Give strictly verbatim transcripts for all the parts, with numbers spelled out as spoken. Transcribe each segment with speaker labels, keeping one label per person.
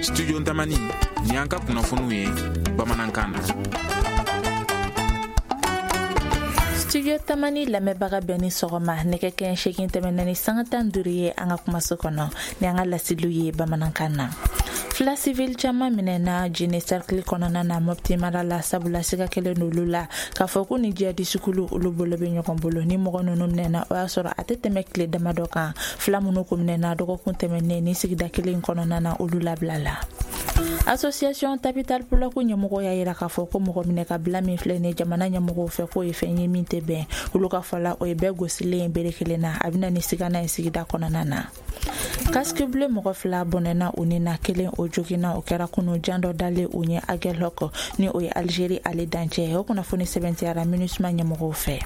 Speaker 1: Studio Tamani ni an ka kunnafoniw ye bamanankan na.
Speaker 2: Studio Tamani lamɛnbaga bɛɛ ni sɔgɔma. Nɛgɛ kɛɲɛ seegin tɛmɛna ni sanga tan duuru ye an ka kumaso kɔnɔ ni an ka laseliw ye bamanankan na. Fila civil caman minɛna Jene cercle kɔnɔna na Mopti mara la, sabula siga kɛlen n'olu la k'a fɔ ko ni jihadisukulu olu bolo bɛ ɲɔgɔn bolo. Ni mɔgɔ ninnu minɛna, o y'a sɔrɔ a tɛ tɛmɛ tile damadɔ kan. Fila minnu ko minɛna dɔgɔkun tɛmɛnen ni sigida kelen kɔnɔna na, olu labila la. Association Tabital Pulaku ɲɛmɔgɔ y'a yira k'a fɔ ko mɔgɔ minɛ ka bila min filɛ nin jamana ɲɛmɔgɔw fɛ, k'o ye fɛn ye min tɛ bɛn. Olu ka fɔ la, o ye bɛɛ gosilen ye bere kelen na, a bɛna ni sigana ye sigida kɔnɔna na. Casque bleu mɔgɔ fila bɔnɛna u ni na, kelen o joginna. O kɛra kunu jan dɔ dalen u ɲɛ Aguelhok, ni o ye Algérie ale dancɛ. O kunnafoni sɛbɛntiyara MINUSMA ɲɛmɔgɔw fɛ.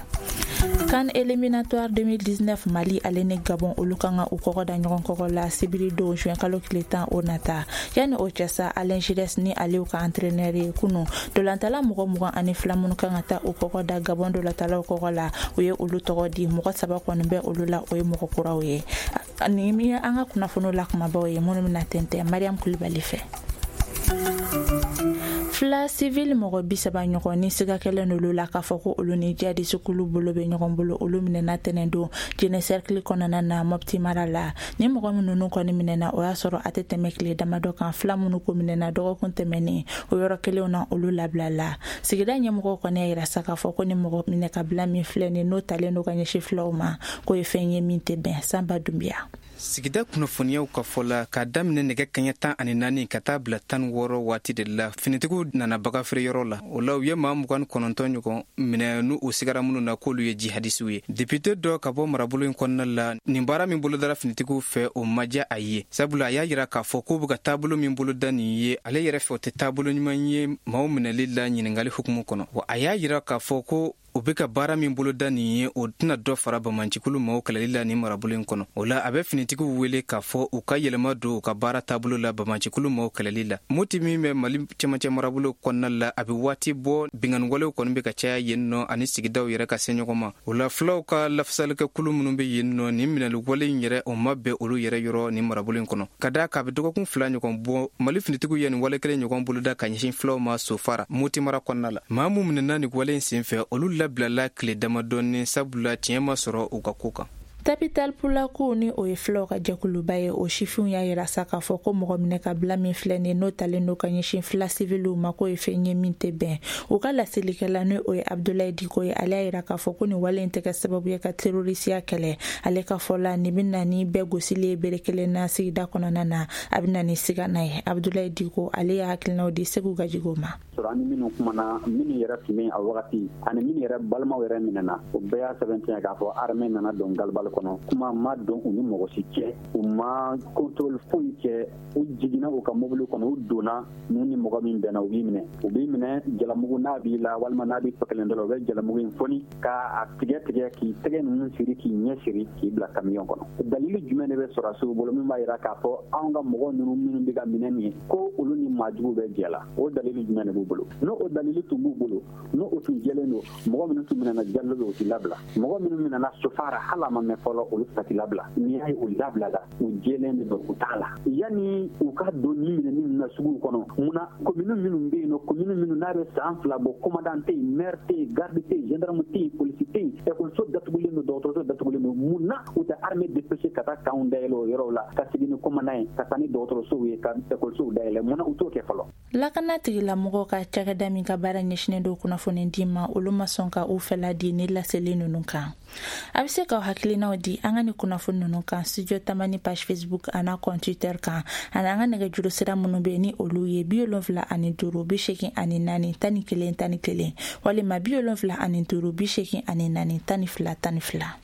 Speaker 2: CAN éliminatoire deux mille dix-neuf, Mali ale ni Gabon olu kan ka u kɔgɔ da ɲɔgɔn kɔgɔ la sibiri don, juin kalo tile tan o nata. Yanni o cɛ sa, Alain Giresse ni ale ka entraîneur ye, kunu dolantala mɔgɔ mugan ani fila minnu kan ka taa u kɔgɔ da Gabon dolantalaw kɔgɔ la, u ye olu tɔgɔ di. Mɔgɔ saba kɔni bɛ olu la, o ye mɔgɔ kuraw ye. Nin ye an ka kunnafoniw la kumabaw ye minnu bɛna tɛntɛn Mariam Kulibali fɛ. Fila civil mɔgɔ bi saba ɲɔgɔn ni siga kɛlen olu la k'a fɔ ko olu ni jihadisukulu bolo bɛ ɲɔgɔn bolo, olu minɛna tɛnɛn don Jene cercle kɔnɔna na Mopti mara la. Ni mɔgɔ minnu kɔni minɛna, o y'a sɔrɔ a tɛ tɛmɛ tile damadɔ kan. Fila minnu ko minɛna dɔgɔkun tɛmɛnen, o yɔrɔ kelenw na, olu labila la. Sigida ɲɛmɔgɔw kɔni y'a yira sa k'a fɔ ko ni mɔgɔ minɛ ka bila min filɛ nin, n'o talen don ka ɲɛsin filaw ma, k'o ye fɛn ye min tɛ bɛn. Sanba Dunbiya.
Speaker 3: Sigida kunnafoniyaw ka fɔ la, k'a daminɛ nɛgɛ kaɲɛ tan ani naani ka taa bila tan wɔɔrɔ waati de la, finitigiw nana baga feereyɔrɔ la. O la, u ye maa mugan kɔnɔntɔn ɲɔgɔn minɛ, n'u u sigara minnu na k'olu ye jihadisiw ye. Depite dɔ ka bɔ marabolo in kɔnɔna la, nin baara min bolodara finitigiw fɛ, o ma diya a ye, sabula a y'a yira k'a fɔ k'u be ka taabolo min boloda nin ye, ale yɛrɛ fɛ, o tɛ taabolo ɲuman ye maaw minɛli la ɲiningali hukumu kɔnɔ. Wa a y'a yira k'a fɔ ko u be ka baara min boloda nin ye, o tɛna dɔ fara bamancikulu maaw kɛlɛli la nin marabolo in kɔnɔ. O la, a bɛ finitigiw wele k'a fɔ u ka yɛlɛma don u ka baara taabolo la bamancikulu maaw kɛlɛli la. Moti min bɛ Mali cɛmancɛ marabolo kɔnɔna la, a bɛ waati bɔ binganiwalew kɔni bɛ ka caya yen nɔ ani sigidaw yɛrɛ ka se ɲɔgɔn ma. O la, fulaw ka lafasalikɛkulu minnu bɛ yen nɔ, nin minɛliwale in yɛrɛ, o ma bɛn olu yɛrɛ yɔrɔ nin marabolo in kɔnɔ, ka daa k'a bɛ dɔgɔkun fila ɲɔgɔn bɔ, Mali finitigiw ye nin wale kelen ɲɔgɔn boloda ka ɲɛsin fulaw ma Sofara, Moti mara kɔnɔna la. Maa mun minɛna nin wale in senfɛ, olu labilala tile damadɔni, sabula tiɲɛ ma sɔrɔ u ka ko kan.
Speaker 2: Tabital Pulaku, ni o ye filaw ka jɛkuluba ye, o sifinw y'a yira sa k'a fɔ ko mɔgɔ minɛ ka bila min filɛ nin, n'o talen don ka ɲɛsin fila siviliw ma, k'o ye fɛn ye min tɛ bɛn. U ka laselikɛla, ni o ye Abdulayi Diko ye, ale y'a yira k'a fɔ ko nin wale in tɛ kɛ sababu ye ka terorisiya kɛlɛ. Ale ka fɔ la, nin bɛ na ni bɛɛ gosili ye bere kelen na sigida kɔnɔna na, a bɛ na ni sigana ye. Abdulayi Diko, ale y'a hakilinaw di Segu Gajigo ma.
Speaker 4: Sɔrɔ ani minnu kumana, minnu yɛrɛ tun bɛ a wagati ani minnu yɛrɛ balimaw yɛrɛ minɛna, o bɛɛ y'a sɛbɛntiya k'a fɔ armée nana don galibali kɔnɔ, kuma ma don u ni mɔgɔ si cɛ, u ma contrôle foyi kɛ. U jiginna u ka mobili kɔnɔ, u donna, n'u ni mɔgɔ min bɛnna, u b'i minɛ, u b'i minɛ. Jalamugu n'a b'i la walima n'a b'i tɔ kelen dɔ la, u bɛ jalamugu in foni k'a tigɛ tigɛ, k'i tɛgɛ ninnu siri, k'i ɲɛ siri, k'i bila camion kɔnɔ. Dalili jumɛn de bɛ sɔrɔdasiw bolo min b'a yira k'a fɔ anw ka mɔgɔ ninnu minnu bɛ ka minɛ nin ye, ko olu ni maajugu bɛ jɛ la? O dalili jumɛn de b'u bolo? N'o o dalili tun b'u bolo, n'o o tun jɛlen don, mɔgɔ minnu tun minɛna Jalo, o tɛ labila. Mɔgɔ minnu minɛna Sofara, hali a ma mɛn fɔlɔ, olu tɛ labila. N'i y'a ye u labilala, u jɛlen de don, u t'a la. Yanni u ka don ni minɛni ninnu na suguw kɔnɔ, munna commune minnu bɛ yen nɔ, commune minnu n'a bɛ san fila bɔ, commandant tɛ yen, maire tɛ yen, garde tɛ yen, gendarme tɛ yen, polisi tɛ yen, ekɔliso datugulen don, dɔgɔtɔrɔso datugulen don, mun na u tɛ armée dépêché ka taa camp dayɛlɛ o yɔrɔw la, ka segin ni commandant ye, ka taa ni dɔgɔtɔrɔsow ye, ka ekɔlisow dayɛlɛ? Mun na u t'o kɛ fɔlɔ?
Speaker 2: Lakana tigilamɔgɔw ka cakɛda min ka baara ɲɛsinen don kunnafoni di ma, olu ma sɔn ka u fɛla di ni laseli ninnu kan. A bɛ se k'aw hakilinaw di an ka ni kunnafoni ninnu kan Studio Tamani page Facebook an'a compte Twitter kan, ani an ka nɛgɛjuru sira minnu bɛ ni olu ye bi wolonfila ani duuru bi seegin ani naani tan ni kelen tan ni kelen walima bi wolonfila ani duuru bi seegin ani naani tan ni fila tan ni fila.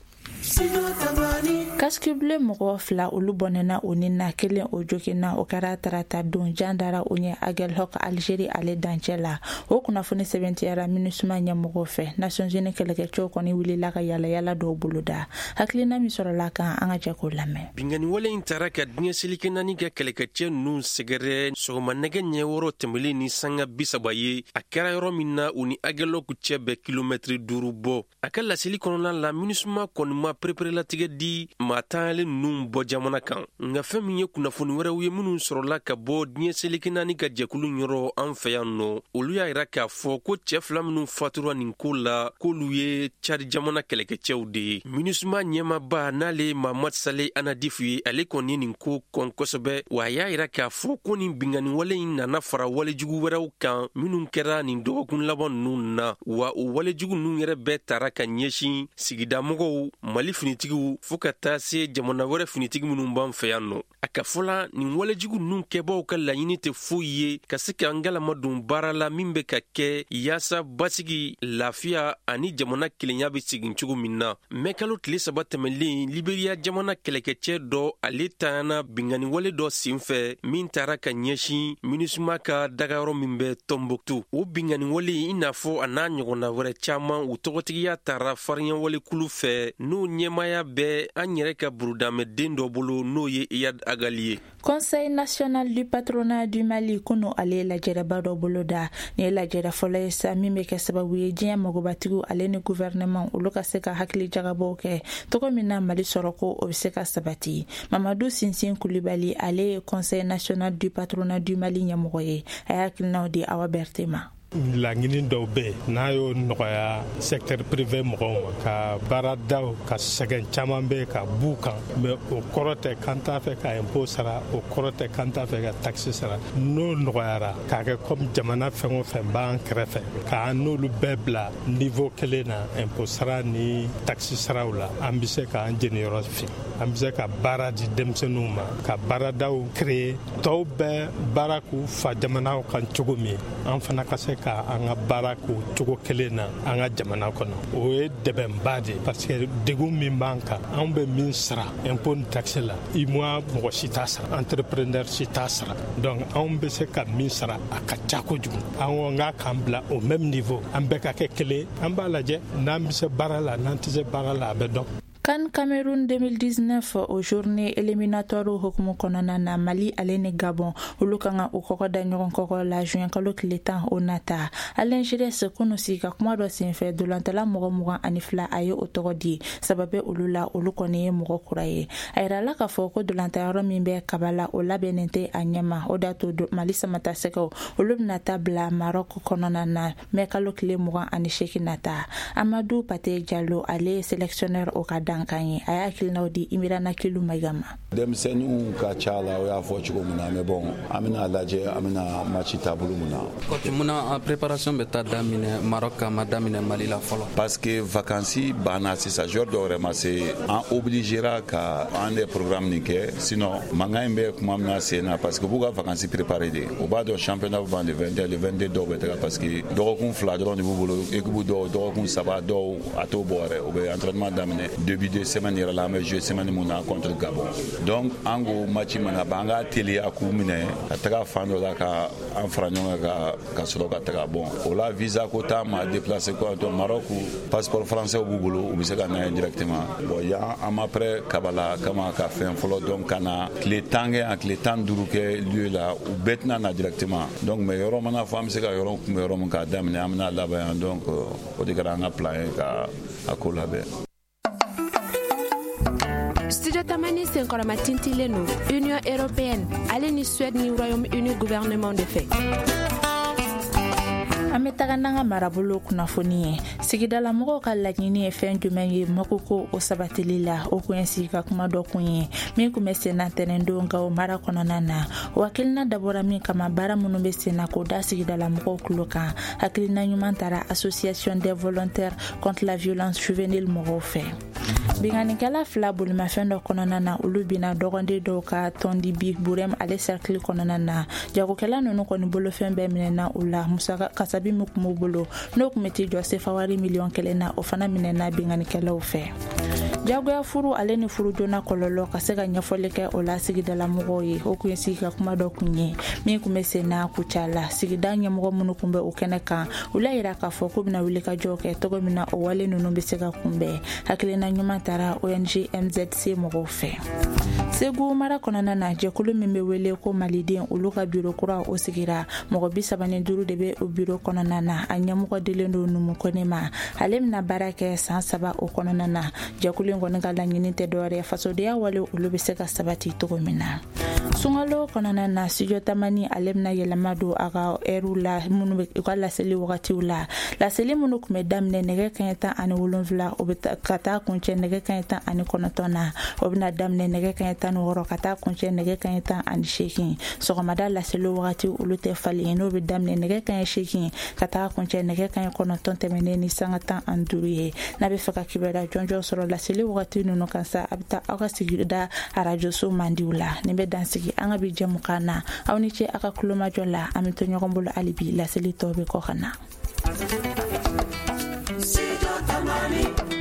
Speaker 2: Casque bleu mɔgɔ fila, olu bɔnɛna o ni na, kelen o joginna. O kɛra tarata don, jan dara o ɲɛ Aguelhok, Algérie ale dancɛ la. O kunnafoni sɛbɛntiyara MINUSMA ɲɛmɔgɔw fɛ. Nations Unies kɛlɛkɛcɛw kɔni wulila ka yalayala dɔw boloda. Hakilina min sɔrɔla kan, an ka jɛ k'o lamɛn.
Speaker 5: Binkanni wale in taara ka diɲɛ seleke naani ka kɛlɛkɛcɛ ninnu sɛgɛrɛ sɔgɔma nɛgɛ ɲɛ wɔɔrɔ tɛmɛlen ni sanga bi saba ye. A kɛra yɔrɔ min na, u ni Aguelhok cɛ bɛ kilomɛtiri duuru bɔ. A ka laseli kɔnɔna la, MINUSMA kɔni ma pereperelatigɛ di maa tanyalen ninnu bɔ jamana kan. Nka fɛn min ye kunnafoni wɛrɛw ye minnu sɔrɔla ka bɔ diɲɛ seleke naani ka jɛkulu yɔrɔ an fɛ yan nɔ, olu y'a yira k'a fɔ ko cɛɛ fila minnu fatura nin ko la, k'olu ye Cadi jamana kɛlɛkɛcɛw de ye. MINUSMA ɲɛmaba n'ale Mahamad Saleh Anadifu ye, ale kɔni ye nin ko kɔn kosɛbɛ, wa a y'a yira k'a fɔ ko nin binkanni wale in nana fara walejugu wɛrɛw kan minnu kɛra nin dɔgɔkun laban ninnu na, wa o walejugu ninnu yɛrɛ bɛɛ tara ka ɲɛsin sigidamɔgɔw, Mali finitigiw, fɔɔ ka taa se jamana wɛrɛ finitigi minnu b'an fɛ yan nɔ. A ka fɔla nin walejugu ninnu kɛbaaw ka laɲini tɛ foyi ye ka se k'an galama don baara la min bɛ ka kɛ yaasa basigi, lafiya ani jamana kelenya bɛ segin cogo min na. Mɛkalo tile saba tɛmɛlen, Liberiya jamana kɛlɛkɛcɛ dɔ ale tanyana binkanni wale dɔ senfɛ min taara ka ɲɛsin MINUSMA ka dagayɔrɔ min bɛ Tombouctou. O binkanni wale i n'a fɔ a n'a ɲɔgɔnna wɛrɛ caman, u tɔgɔtigiya taara farinyawalekulu fɛ n'o ɲɛmaaya bɛ an yɛrɛ ka burudamɛden dɔ bolo, n'o ye Iyad Agalie.
Speaker 2: Conseil national du patronat du Mali kunu ale lajɛrɛba dɔ boloda. Nin ye lajɛrɛ fɔlɔ ye sa min bɛ kɛ sababu ye diɲɛ magobatigiw ale ni gouvernement olu ka se ka hakili jagabɔw kɛ cogo min na Mali sɔrɔko o bɛ se ka sabati. Mamadu Sinsin Kulibali ale ye Conseil national du patronat du Mali ɲɛmɔgɔ ye, a y'a hakilinaw di Awa Berté ma.
Speaker 6: Laɲini dɔw bɛ yen n'a y'o nɔgɔya secteur privé mɔgɔw ma ka baaradaw ka sɛgɛn caman bɛ yen ka b'u kan, mais o kɔrɔ tɛ k'an t'a fɛ ka impôt sara, o kɔrɔ tɛ k'an t'a fɛ ka taxe sara. N'o nɔgɔyara k'a kɛ comme jamana fɛn o fɛn b'an kɛrɛfɛ k'an n'olu bɛɛ bila niveau kelen na impôt sara ni taxe saraw la, an bɛ se k'an jeniyɔrɔ fin, an bɛ se ka baara di denmisɛnninw ma, ka baaradaw créer. Tɔw bɛɛ baara k'u fa jamanaw kan cogo min, an fana ka se ka an ka baara k'o cogo kelen na an ka jamana kɔnɔ. O ye dɛmɛba de ye, parce que degun min b'an kan, anw bɛ min sara impôt ni taxe la, UEMOA mɔgɔ si t'a sara, entrepreneur si t'a sara. Donc anw bɛ se ka min sara a ka ca kojugu. An ko n k'a k'an bila au même niveau, an bɛɛ ka kɛ kelen, an b'a lajɛ n'an bɛ se baara la, n'an tɛ se baara la, a bɛ dɔn.
Speaker 2: CAN Cameroun deux mille dix-neuf o journée éliminatoire hukumu kɔnɔna na, Mali ale ni Gabon olu kan ka u kɔkɔ da ɲɔgɔn kɔkɔ la juin kalo tile tan o nata. Alain Giresse kunu sigi ka kuma dɔ senfɛ dolantala mɔgɔ mugan ani fila a ye o tɔgɔ di, saba bɛ olu la, olu kɔni ye mɔgɔ kura ye. A yirala k'a fɔ ko dolantayɔrɔ min bɛ Kaba la o labɛnnen tɛ a ɲɛma, o de y'a to Mali samatasɛgɛw olu bɛna taa bila Maroc kɔnɔna na mɛ kalo tile mugan ani seegin nata. Amadou Pate Diallo ale ye sélectionneur o ka dan kan ye, a y'a hakilinaw di Imirana Kilu Mayiga ma.
Speaker 7: Denmisɛnninw ka ca la, o y'a fɔ cogo min na, mais bon an bɛna lajɛ an bɛna match taabolo mun na.
Speaker 8: Coach, munna préparation bɛ taa daminɛ Maroc a ma daminɛ Mali la fɔlɔ?
Speaker 7: Parce que vacances banna sisan, joueur dɔw yɛrɛ ma se, an obligera ka an de programme nin kɛ, sinon mankan in bɛ kuma min na sen na, parce que u b'u ka vacances préparer de, u b'a dɔn championnat bɛ ban le vingt et un, le vingt-deux dɔw bɛ taga, parce que dɔgɔkun fila dɔrɔn de b'u bolo, équipe dɔw dɔgɔkun saba, dɔw a t'o bɔ yɛrɛ, u bɛ entraînement daminɛ début de semaine yɛrɛ la, an bɛ jouer semaine mun na contre Gabon. Donc an ko match mana ban, an k'a teliya k'u minɛ ka taga fan dɔ la ka an fara ɲɔgɔn kan ka sɔrɔ ka taga. Bon o la visa ko t'an ma déplacer quoi, donc Maroc passeport français b'u bolo, u bɛ se ka na yen directement. Bon yan an ma prêt Kabala kama ka fɛn fɔlɔ, donc ka na tile tan kɛ yan, tile tan duuru kɛ lieu la, u bɛɛ tɛna na directement. Donc mais yɔrɔ mana fɔ an bɛ se ka yɔrɔ kunbɛ yɔrɔ min k'a daminɛ, an bɛna laban yan. Donc o de kɛra an ka plan ye ka a ko labɛn.
Speaker 9: Studio Tamani senkɔrɔma tintilen don Union européenne ale ni Suède ni Royaume-Uni gouvernement de fɛ.
Speaker 2: An bɛ taga n'an ka marabolo kunnafoni ye. Sigidalamɔgɔw ka laɲini ye fɛn jumɛn ye makoko o sabatili la, o kun ye sigi ka kuma dɔ kun ye min kun bɛ senna tɛnɛndon Gawo mara kɔnɔna na. O hakilina dabɔra min kama, baara minnu bɛ senna k'o da sigidalamɔgɔw tulo kan. Hakilina ɲuman taara Association des volontaires contre la violence juvénile mɔgɔw fɛ. Binkannikɛla fila bolimafɛn dɔ kɔnɔna na, olu binna dɔgɔden dɔw ka tɔndi bi Burem ale cercle kɔnɔna na. Jagokɛla ninnu kɔni bolofɛn bɛɛ minɛna u la, musaka kasabi min kun b'u bolo n'o kun bɛ t'i jɔ sefawari miliyɔn kelen na, o fana minɛna binkannikɛlaw fɛ. Jagoya furu ale ni furu joona kɔlɔlɔ ka se ka ɲɛfɔli kɛ o la sigidalamɔgɔw ye, o kun ye sigi ka kuma dɔ kun ye min kun bɛ senna Kucala. Sigida ɲɛmɔgɔ minnu kun bɛ o kɛnɛ kan, u y'a yira k'a fɔ k'u bɛna wuli ka jɔ kɛ cogo min na o wale ninnu bɛ se ka kunbɛn. Hakilina ɲuman taara O N G M Z C mɔgɔw fɛ. Segu mara kɔnɔna na, jɛkulu min bɛ wele ko Maliden, olu ka biro kura o sigira. Mɔgɔ bi saba ni duuru de bɛ o biro kɔnɔna na. A ɲɛmɔgɔ dilen don Numu Kone ma, ale bɛna baara kɛ san saba o kɔnɔna na. Jɛkulu in in kɔni ka laɲini tɛ dɔwɛrɛ ye, fasodenya wale olu bɛ se ka sabati cogo min na. Sunkalo kɔnɔna na, Studio Tamani ale bɛna yɛlɛma don a ka ɛriw la, minnu bɛ u ka laseli wagatiw la. Laseli minnu tun bɛ daminɛ nɛgɛ kaɲɛ tan ani wolonfila, o bɛ ka taa kuncɛ nɛgɛ kaɲɛ tan ani kɔnɔntɔn na, o bɛna daminɛ nɛgɛ kaɲɛ tan ni wɔɔrɔ ka taa kuncɛ nɛgɛ kaɲɛ tan ani seegin. Sɔgɔmada laseli wagati olu tɛ falen, n'o bɛ daminɛ nɛgɛ kaɲɛ seegin ka taa kuncɛ nɛgɛ kaɲɛ kɔnɔntɔn tɛmɛnen ni sanga tan ani duuru ye. N'a bɛ fɛ ka kibaruya jɔnjɔn sɔrɔ laseli wagati ninnu kan sa, a bɛ taa aw ka sigida arajoso mandiw la. Nin bɛ dan sigi an ka bi jɛmukan na. Aw ni ce aw ka kulomajɔ la. An bɛ to ɲɔgɔn bolo hali bi, laseli tɔw bɛ kɔ ka na.
Speaker 10: Studio Tamani.